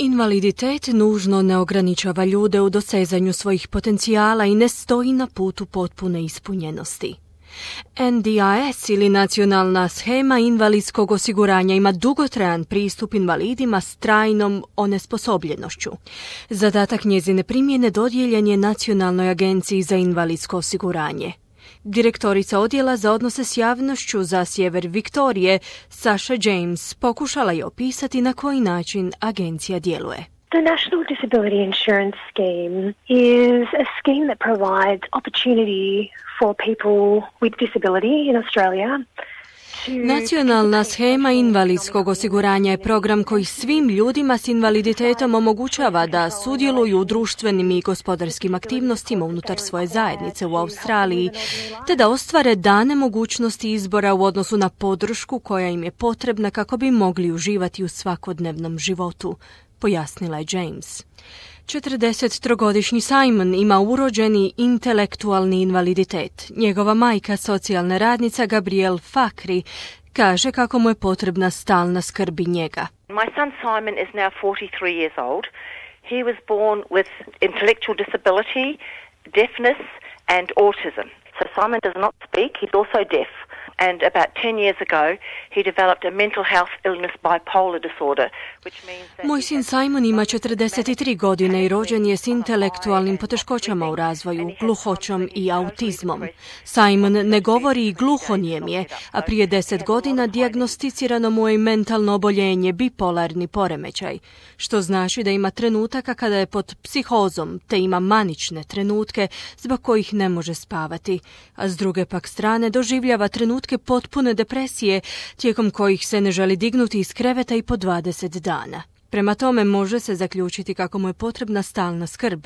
Invaliditet nužno ne ograničava ljude u dosezanju svojih potencijala i ne stoji na putu potpune ispunjenosti. NDIS ili Nacionalna shema invalidskog osiguranja ima dugotrajan pristup invalidima s trajnom onesposobljenošću. Zadatak njezine primjene dodijeljen je Nacionalnoj agenciji za invalidsko osiguranje. Direktorica odjela za odnose s javnošću za sjever Viktorije, Sasha James, pokušala je opisati na koji način agencija djeluje. The National Disability Insurance Scheme is a scheme that provides opportunity for people with disability in Australia. Nacionalna shema invalidskog osiguranja je program koji svim ljudima s invaliditetom omogućava da sudjeluju u društvenim i gospodarskim aktivnostima unutar svoje zajednice u Australiji, te da ostvare dane mogućnosti izbora u odnosu na podršku koja im je potrebna kako bi mogli uživati u svakodnevnom životu, pojasnila je James. 43-godišnji Simon ima urođeni intelektualni invaliditet. Njegova majka, socijalna radnica Gabrielle Fakri, kaže kako mu je potrebna stalna skrb i njega. My son Simon is now 43 years old. He was born with intellectual disability, deafness and autism. So Simon does not speak, he's also deaf. And about 10 years ago, he developed a mental health illness bipolar disorder, which means that... Moj sin Simon ima 43 godine i rođen je s intelektualnim poteškoćama u razvoju, gluhoćom i autizmom. Simon ne govori i gluhonijem je, a prije 10 godina dijagnosticirano mu je mentalno oboljenje, bipolarni poremećaj, što znači da ima trenutaka kada je pod psihozom, te ima manične trenutke zbog kojih ne može spavati, a s druge pak strane doživljava trenutke potpune depresije tijekom kojih se ne želi dignuti iz kreveta i po 20 dana. Prema tome može se zaključiti kako mu je potrebna stalna skrb.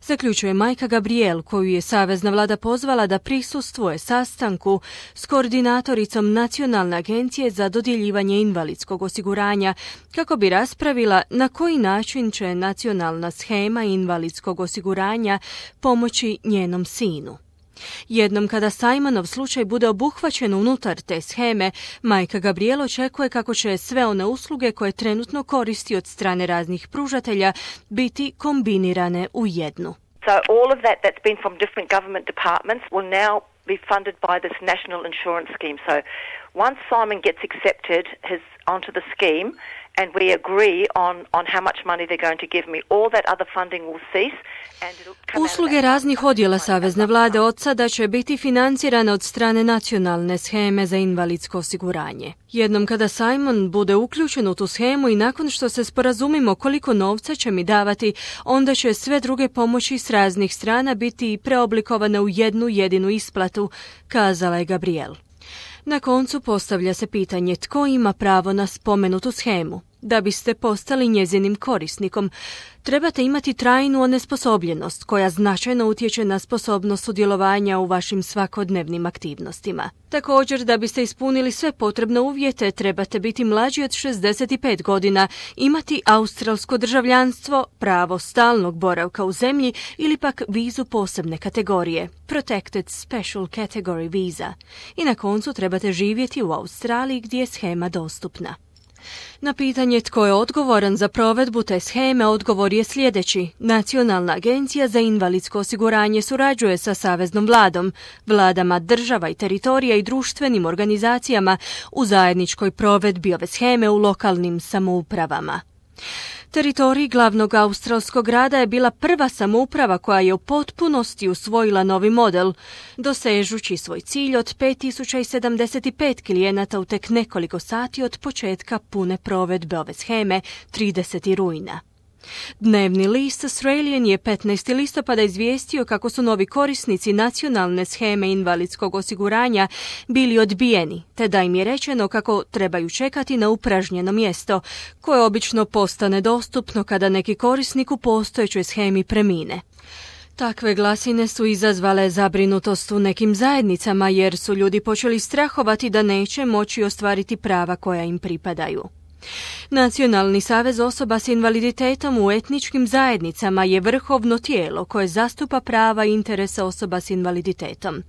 Zaključuje majka Gabrielle, koju je savezna vlada pozvala da prisustvuje sastanku s koordinatoricom Nacionalne agencije za dodjeljivanje invalidskog osiguranja kako bi raspravila na koji način će Nacionalna shema invalidskog osiguranja pomoći njenom sinu. Jednom kada Simonov slučaj bude obuhvaćen unutar te sheme, majka Gabrielle očekuje kako će sve one usluge koje trenutno koristi od strane raznih pružatelja biti kombinirane u jednu. So all of that that's been from different government departments will now be funded by this national insurance scheme. So once Simon gets accepted onto the scheme and we agree on how much money they're going to give me, all that other funding will cease. Usluge raznih odjela savezne vlade od sada će biti financirane od strane Nacionalne sheme za invalidsko osiguranje. Jednom kada Simon bude uključen u tu shemu i nakon što se sporazumimo koliko novca će mi davati, onda će sve druge pomoći s raznih strana biti preoblikovane u jednu jedinu isplatu, kazala je Gabrielle. Na koncu postavlja se pitanje tko ima pravo na spomenutu shemu. Da biste postali njezinim korisnikom, trebate imati trajnu onesposobljenost koja značajno utječe na sposobnost sudjelovanja u vašim svakodnevnim aktivnostima. Također, da biste ispunili sve potrebne uvjete, trebate biti mlađi od 65 godina, imati australsko državljanstvo, pravo stalnog boravka u zemlji ili pak vizu posebne kategorije, Protected Special Category Visa. I na koncu trebate živjeti u Australiji gdje je shema dostupna. Na pitanje tko je odgovoran za provedbu te sheme, odgovor je sljedeći. Nacionalna agencija za invalidsko osiguranje surađuje sa saveznom vladom, vladama država i teritorija i društvenim organizacijama u zajedničkoj provedbi ove sheme u lokalnim samoupravama. Teritorij glavnog australskog grada je bila prva samouprava koja je u potpunosti usvojila novi model, dosežući svoj cilj od 5075 klijenata u tek nekoliko sati od početka pune provedbe ove sheme 30. rujna. Dnevni list Australian je 15. listopada izvijestio kako su novi korisnici Nacionalne sheme invalidskog osiguranja bili odbijeni, te da im je rečeno kako trebaju čekati na upražnjeno mjesto, koje obično postane dostupno kada neki korisnik u postojećoj shemi premine. Takve glasine su izazvale zabrinutost u nekim zajednicama jer su ljudi počeli strahovati da neće moći ostvariti prava koja im pripadaju. Nacionalni savez osoba s invaliditetom u etničkim zajednicama je vrhovno tijelo koje zastupa prava i interese osoba s invaliditetom.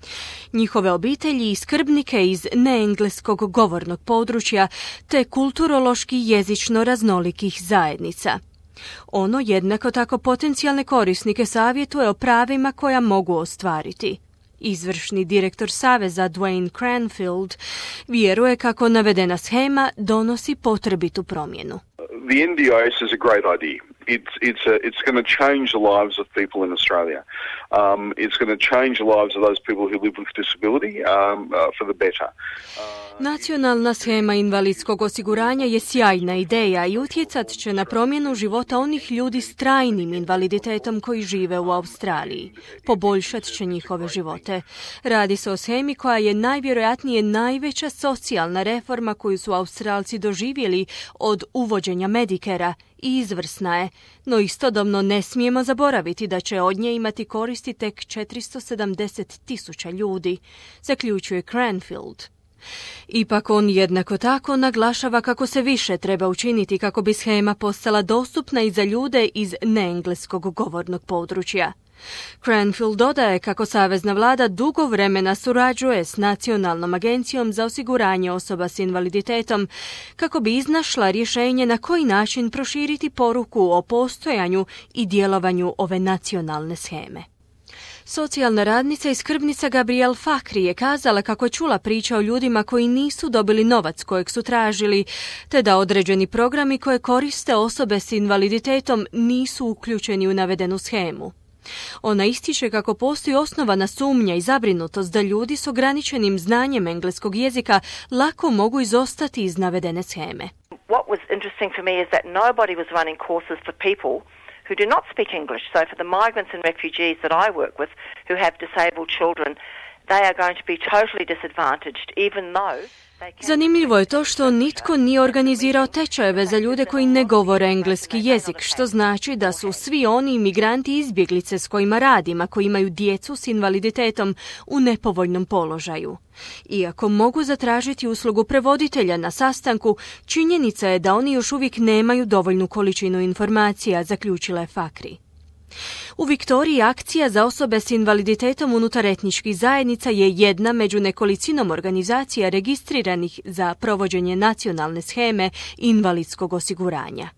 Njihove obitelji i skrbnike iz neengleskog govornog područja te kulturološki jezično raznolikih zajednica. Ono jednako tako potencijalne korisnike savjetuje o pravima koja mogu ostvariti. Izvršni direktor Saveza Dwayne Cranfield vjeruje kako navedena shema donosi potrebitu promjenu. The NDIS is a great idea. It's going to change the lives of people in Australia. It's going to change the lives of those people who live with disability for the better. Nacionalna shema invalidskog osiguranja je sjajna ideja i utjecat će na promjenu života onih ljudi s trajnim invaliditetom koji žive u Australiji. Poboljšat će njihove živote. Radi se o shemi koja je najvjerojatnije najveća socijalna reforma koju su Australci doživjeli od uvođenja Medicarea i izvrsna je, no istodobno ne smijemo zaboraviti da će od nje imati koristi tek 470,000 ljudi, zaključuje Cranfield. Ipak on jednako tako naglašava kako se više treba učiniti kako bi shema postala dostupna i za ljude iz neengleskog govornog područja. Cranfield dodaje kako savezna vlada dugo vremena surađuje s Nacionalnom agencijom za osiguranje osoba s invaliditetom kako bi iznašla rješenje na koji način proširiti poruku o postojanju i djelovanju ove nacionalne sheme. Socijalna radnica i skrbnica Gabrielle Fakhri je kazala kako je čula priča o ljudima koji nisu dobili novac kojeg su tražili, te da određeni programi koje koriste osobe s invaliditetom nisu uključeni u navedenu shemu. Ona ističe kako postoji osnovana sumnja i zabrinutost da ljudi s ograničenim znanjem engleskog jezika lako mogu izostati iz navedene sheme. What was interesting for me is that nobody was running courses for people who do not speak English. So for the migrants and refugees that I work with who have disabled children, they are going to be totally disadvantaged even though Zanimljivo je to što nitko nije organizirao tečajeve za ljude koji ne govore engleski jezik, što znači da su svi oni imigranti i izbjeglice s kojima radim, a koji imaju djecu s invaliditetom, u nepovoljnom položaju. Iako mogu zatražiti uslugu prevoditelja na sastanku, činjenica je da oni još uvijek nemaju dovoljnu količinu informacija, zaključila je Fakhri. U Viktoriji akcija za osobe s invaliditetom unutar etničkih zajednica je jedna među nekolicinom organizacija registriranih za provođenje nacionalne sheme invalidskog osiguranja.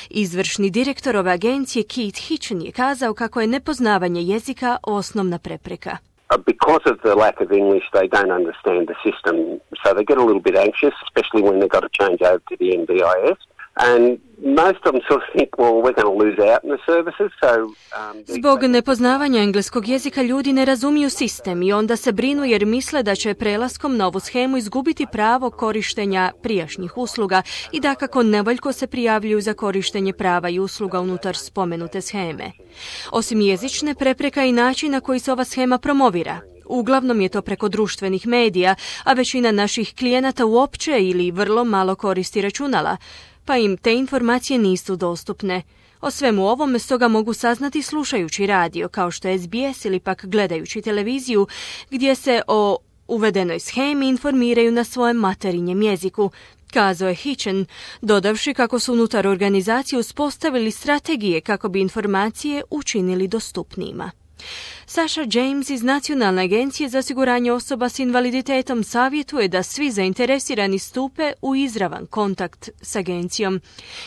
Izvršni direktor ove agencije Keith Hitchen je kazao kako je nepoznavanje jezika osnovna prepreka. Because of the lack of English, they don't understand the system, so they get a little bit anxious, especially when they've got to change over to the NDIS. And most of them sort of think, well, we're going to lose out in the services, so... Zbog nepoznavanja engleskog jezika ljudi ne razumiju sistem i onda se brinu jer misle da će prelaskom na ovu shemu izgubiti pravo korištenja prijašnjih usluga i dakako nevoljko se prijavljuju za korištenje prava i usluga unutar spomenute sheme. Osim jezične, prepreka i način na koji se ova shema promovira. Uglavnom je to preko društvenih medija, a većina naših klijenata uopće ili vrlo malo koristi računala, pa im te informacije nisu dostupne. O svemu ovome stoga mogu saznati slušajući radio, kao što je SBS ili pak gledajući televiziju, gdje se o uvedenoj shemi informiraju na svojem materinjem jeziku, kazao je Hitchen, dodavši kako su unutar organizacije uspostavili strategije kako bi informacije učinili dostupnijima. Sasha James iz Nacionalne agencije za osiguranje osoba s invaliditetom savjetuje da svi zainteresirani stupe u izravan kontakt s agencijom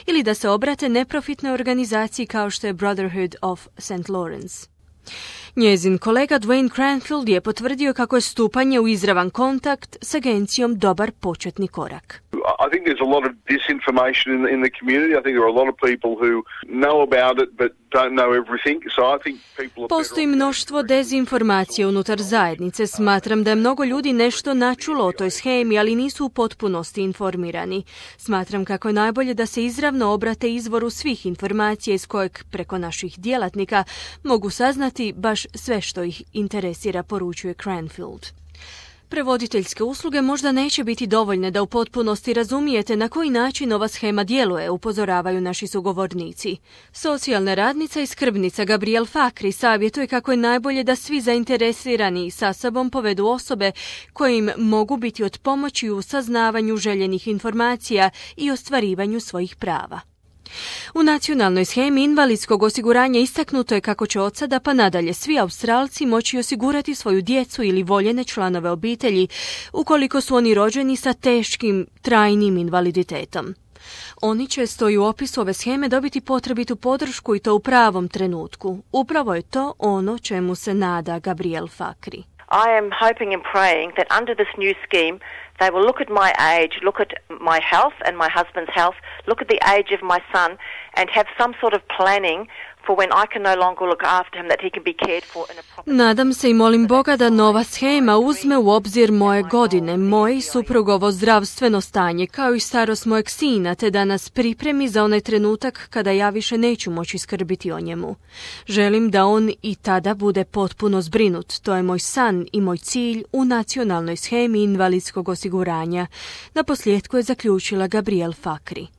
ili da se obrate neprofitnoj organizaciji kao što je Brotherhood of St. Lawrence. Njezin kolega Dwayne Cranfield je potvrdio kako je stupanje u izravan kontakt s agencijom dobar početni korak. I think there's a lot of disinformation in the community. I think there are a lot of people who know about it but don't know everything. So I think people are Postoji mnoštvo dezinformacije unutar zajednice. Smatram da je mnogo ljudi nešto načulo o toj shemi, ali nisu u potpunosti informirani. Smatram kako je najbolje da se izravno obrate izvoru svih informacija iz kojeg preko naših djelatnika mogu saznati baš sve što ih interesira, poručuje Cranfield. Prevoditeljske usluge možda neće biti dovoljne da u potpunosti razumijete na koji način ova shema djeluje, upozoravaju naši sugovornici. Socijalna radnica i skrbnica Gabrielle Fakhri savjetuje kako je najbolje da svi zainteresirani sa sobom povedu osobe koje im mogu biti od pomoći u saznavanju željenih informacija i ostvarivanju svojih prava. U nacionalnoj shemi invalidskog osiguranja istaknuto je kako će od sada pa nadalje svi Australci moći osigurati svoju djecu ili voljene članove obitelji ukoliko su oni rođeni sa teškim, trajnim invaliditetom. Oni će, stoji u opisu ove sheme, dobiti potrebitu podršku i to u pravom trenutku. Upravo je to ono čemu se nada Gabriel Fakhri. I am hoping and praying that under this new scheme they will look at my age, look at my health and my husband's health, look at the age of my son and have some sort of planning for when I can no longer look after him, that he can be cared for in a proper... Nadam se i molim Boga da nova shema uzme u obzir moje godine, moje i suprugovo zdravstveno stanje, kao i starost mojeg sina, te da nas pripremi za onaj trenutak kada ja više neću moći skrbiti o njemu. Želim da on i tada bude potpuno zbrinut. To je moj san i moj cilj u nacionalnoj shemi invalidskog osiguranja. Naposljetku je zaključila Gabriel Fakhri.